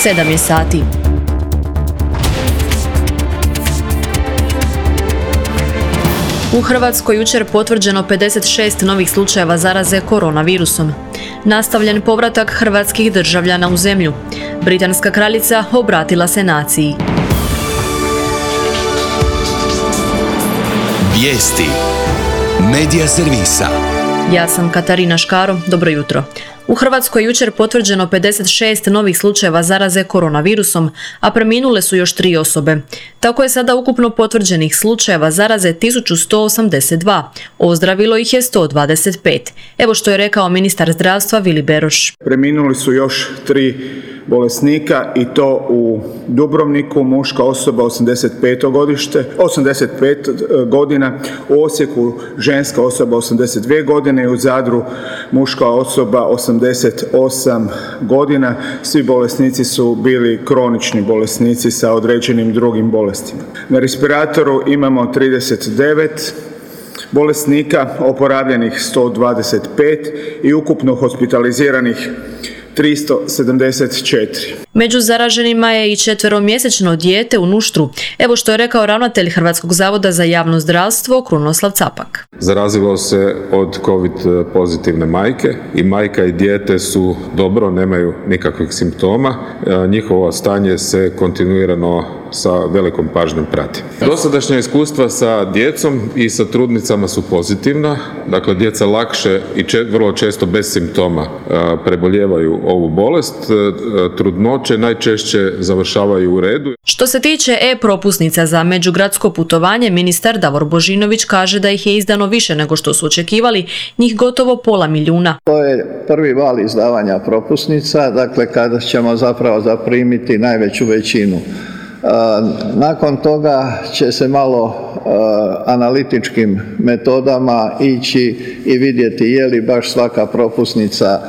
7 je sati. U Hrvatskoj jučer potvrđeno 56 novih slučajeva zaraze koronavirusom. Nastavljen povratak hrvatskih državljana u zemlju. Britanska kraljica obratila se naciji. Vijesti Medija servisa. Ja sam Katarina Škaro, dobro jutro. U Hrvatskoj jučer potvrđeno 56 novih slučajeva zaraze koronavirusom, a preminule su još 3 osobe. Tako je sada ukupno potvrđenih slučajeva zaraze 1182, ozdravilo ih je 125. Evo što je rekao ministar zdravstva Vili Beroš. Preminuli su još 3 bolesnika i to u Dubrovniku, muška osoba 85 godina, u Osijeku ženska osoba 82 godine i u Zadru muška osoba 88 godina. Svi bolesnici su bili kronični bolesnici sa određenim drugim bolestima. Na respiratoru imamo 39 bolesnika, oporavljenih 125 i ukupno hospitaliziranih 374. Među zaraženima je i 4-mjesečno dijete u Nuštru. Evo što je rekao ravnatelj Hrvatskog zavoda za javno zdravstvo Krunoslav Capak. Zarazilo se od COVID pozitivne majke i majka i dijete su dobro, nemaju nikakvih simptoma. Njihovo stanje se kontinuirano sa velikom pažnjom prati. Dosadašnja iskustva sa djecom i sa trudnicama su pozitivna. Dakle, djeca lakše i vrlo često bez simptoma preboljevaju ovu bolest. Trudnoće najčešće završavaju u redu. Što se tiče e-propusnica za međugradsko putovanje, ministar Davor Božinović kaže da ih je izdano više nego što su očekivali, njih gotovo 500.000. To je prvi val izdavanja propusnica, dakle kada ćemo zapravo zaprimiti najveću većinu. Nakon toga će se malo analitičkim metodama ići i vidjeti je li baš svaka propusnica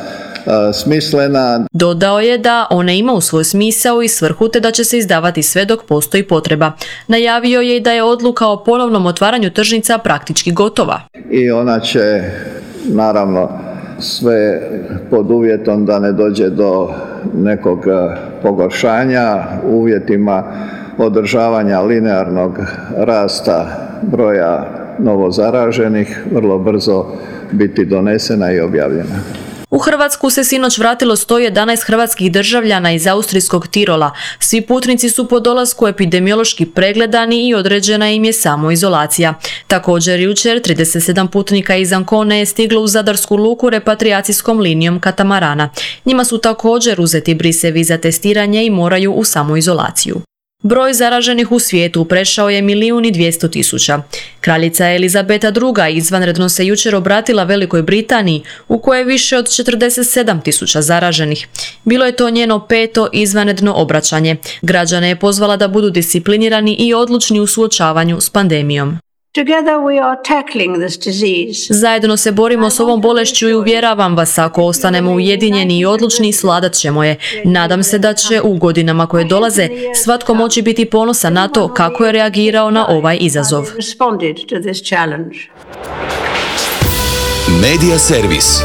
smislena. Dodao je da ona ima u svoj smisao i svrhu te da će se izdavati sve dok postoji potreba. Najavio je i da je odluka o ponovnom otvaranju tržnica praktički gotova. I ona će naravno sve pod uvjetom da ne dođe do nekog pogoršanja, uvjetima održavanja linearnog rasta broja novozaraženih, vrlo brzo biti donesena i objavljena. U Hrvatsku se sinoć vratilo 111 hrvatskih državljana iz austrijskog Tirola. Svi putnici su po dolasku epidemiološki pregledani i određena im je samoizolacija. Također jučer 37 putnika iz Ancone je stiglo u Zadarsku luku repatrijacijskom linijom katamarana. Njima su također uzeti brisevi za testiranje i moraju u samoizolaciju. Broj zaraženih u svijetu prešao je 1.200.000. Kraljica Elizabeta II. Izvanredno se jučer obratila Velikoj Britaniji, u kojoj je više od 47.000 zaraženih. Bilo je to njeno 5. izvanredno obraćanje. Građane je pozvala da budu disciplinirani i odlučni u suočavanju s pandemijom. Zajedno se borimo s ovom bolešću i uvjeravam vas, ako ostanemo ujedinjeni i odlučni, svladat ćemo je. Nadam se da će u godinama koje dolaze svatko moći biti ponosan na to kako je reagirao na ovaj izazov. Medija servis.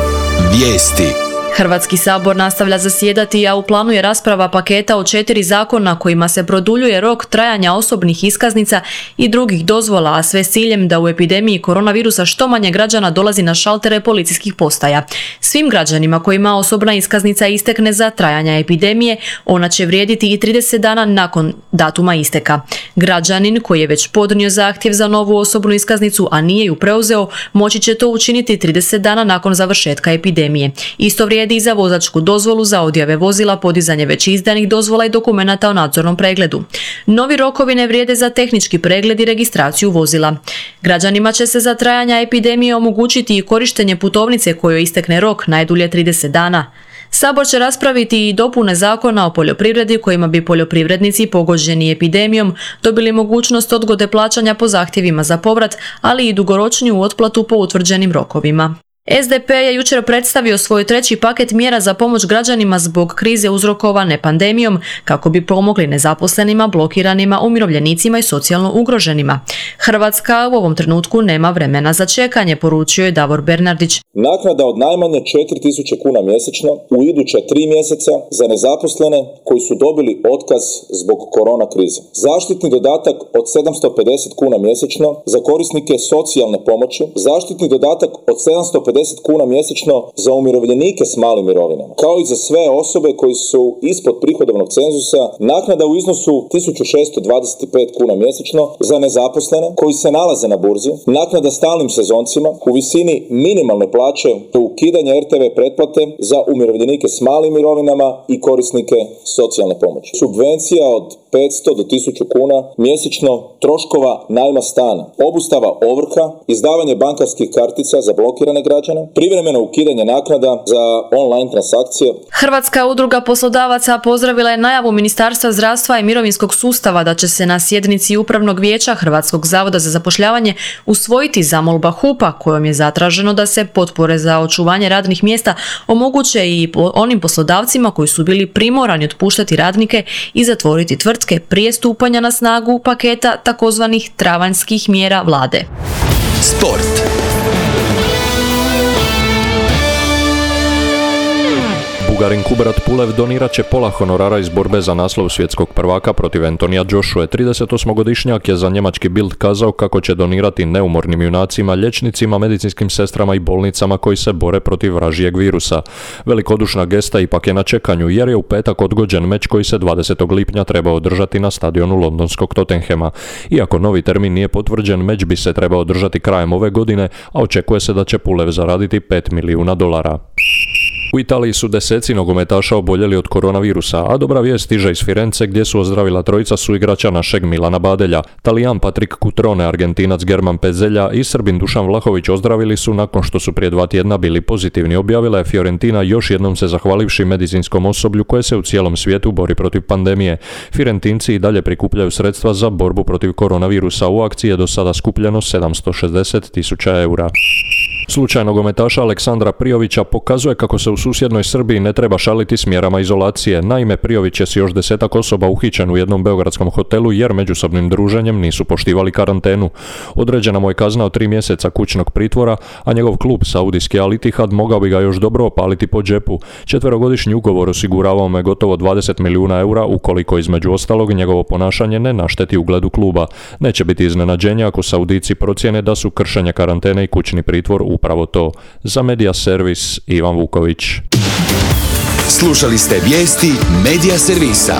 Vijesti. Hrvatski sabor nastavlja zasjedati, a u planu je rasprava paketa od 4 zakona kojima se produljuje rok trajanja osobnih iskaznica i drugih dozvola, a sve s ciljem da u epidemiji koronavirusa što manje građana dolazi na šaltere policijskih postaja. Svim građanima kojima osobna iskaznica istekne za trajanja epidemije, ona će vrijediti i 30 dana nakon datuma isteka. Građanin koji je već podnio zahtjev za novu osobnu iskaznicu, a nije ju preuzeo, moći će to učiniti 30 dana nakon završetka epidemije. Isto vrijedi i za vozačku dozvolu, za odjave vozila, podizanje već izdanih dozvola i dokumenata o nadzornom pregledu. Novi rokovi ne vrijede za tehnički pregled i registraciju vozila. Građanima će se za trajanja epidemije omogućiti i korištenje putovnice kojoj istekne rok najdulje 30 dana. Sabor će raspraviti i dopune Zakona o poljoprivredi kojima bi poljoprivrednici pogođeni epidemijom dobili mogućnost odgode plaćanja po zahtjevima za povrat, ali i dugoročniju otplatu po utvrđenim rokovima. SDP je jučer predstavio svoj treći paket mjera za pomoć građanima zbog krize uzrokovane pandemijom kako bi pomogli nezaposlenima, blokiranima, umirovljenicima i socijalno ugroženima. Hrvatska u ovom trenutku nema vremena za čekanje, poručio je Davor Bernardić. Naknada od najmanje 4.000 kuna mjesečno u iduća 3 mjeseca za nezaposlene koji su dobili otkaz zbog korona krize. Zaštitni dodatak od 750 kuna mjesečno za korisnike socijalne pomoći. Zaštitni dodatak od 750 kuna mjesečno za umirovljenike s malim mirovinama. Kao i za sve osobe koji su ispod prihodovnog cenzusa, naknada u iznosu 1.625 kuna mjesečno za nezaposlene koji se nalaze na burzi, naknada stalnim sezoncima u visini minimalne plaće do ukidanja RTV pretplate za umirovljenike s malim mirovinama i korisnike socijalne pomoći. Subvencija od 500 do 1000 kuna mjesečno troškova najma stana, obustava ovrha, izdavanje bankarskih kartica za blokirane građane, privremeno ukidanje naknada za online transakcije. Hrvatska udruga poslodavaca pozdravila je najavu Ministarstva zdravstva i mirovinskog sustava da će se na sjednici Upravnog vijeća Hrvatskog zavoda za zapošljavanje usvojiti zamolba HUP-a kojom je zatraženo da se potpore za očuvanje radnih mjesta omoguće i onim poslodavcima koji su bili primorani otpuštati radnike i zatvoriti tvrtke prije stupanja na snagu paketa takozvanih travanjskih mjera vlade. Sport. Bugarin Kubrat Pulev donirat će pola honorara iz borbe za naslov svjetskog prvaka protiv Antonija Joshue. 38-godišnjak je za njemački Bild kazao kako će donirati neumornim junacima, liječnicima, medicinskim sestrama i bolnicama koji se bore protiv vražijeg virusa. Velikodušna gesta ipak je na čekanju jer je u petak odgođen meč koji se 20. lipnja trebao održati na stadionu londonskog Tottenhama. Iako novi termin nije potvrđen, meč bi se trebao održati krajem ove godine, a očekuje se da će Pulev zaraditi $5 milijuna. U Italiji su deseci nogometaša oboljeli od koronavirusa, a dobra vijest stiže iz Firence gdje su ozdravila trojica suigrača našeg Milana Badelja. Talijan Patrick Cutrone, Argentinac German Pezelja i Srbin Dušan Vlahović ozdravili su nakon što su prije 2 tjedna bili pozitivni, objavila je Fiorentina još jednom se zahvalivši medicinskom osoblju koje se u cijelom svijetu bori protiv pandemije. Firentinci i dalje prikupljaju sredstva za borbu protiv koronavirusa. U akciji je do sada skupljeno 760.000 eura. Slučaj nogometaša Aleksandra Prijovića pokazuje kako se u susjednoj Srbiji ne treba šaliti s mjerama izolacije. Naime, Prijović je s još 10 osoba uhićen u jednom beogradskom hotelu jer međusobnim druženjem nisu poštivali karantenu. Određena mu je kazna od 3 mjeseca kućnog pritvora, a njegov klub saudijski Al Ittihad mogao bi ga još dobro opaliti po džepu. 4-godišnji ugovor osiguravao mu je gotovo 20 milijuna eura ukoliko između ostalog njegovo ponašanje ne našteti ugledu kluba. Neće biti iznenađenja ako Saudijci procjene da su kršenje karantene i kućni pritvor upravo to. Za Media Servis Ivan Vuković. Slušali ste vijesti Media Servisa.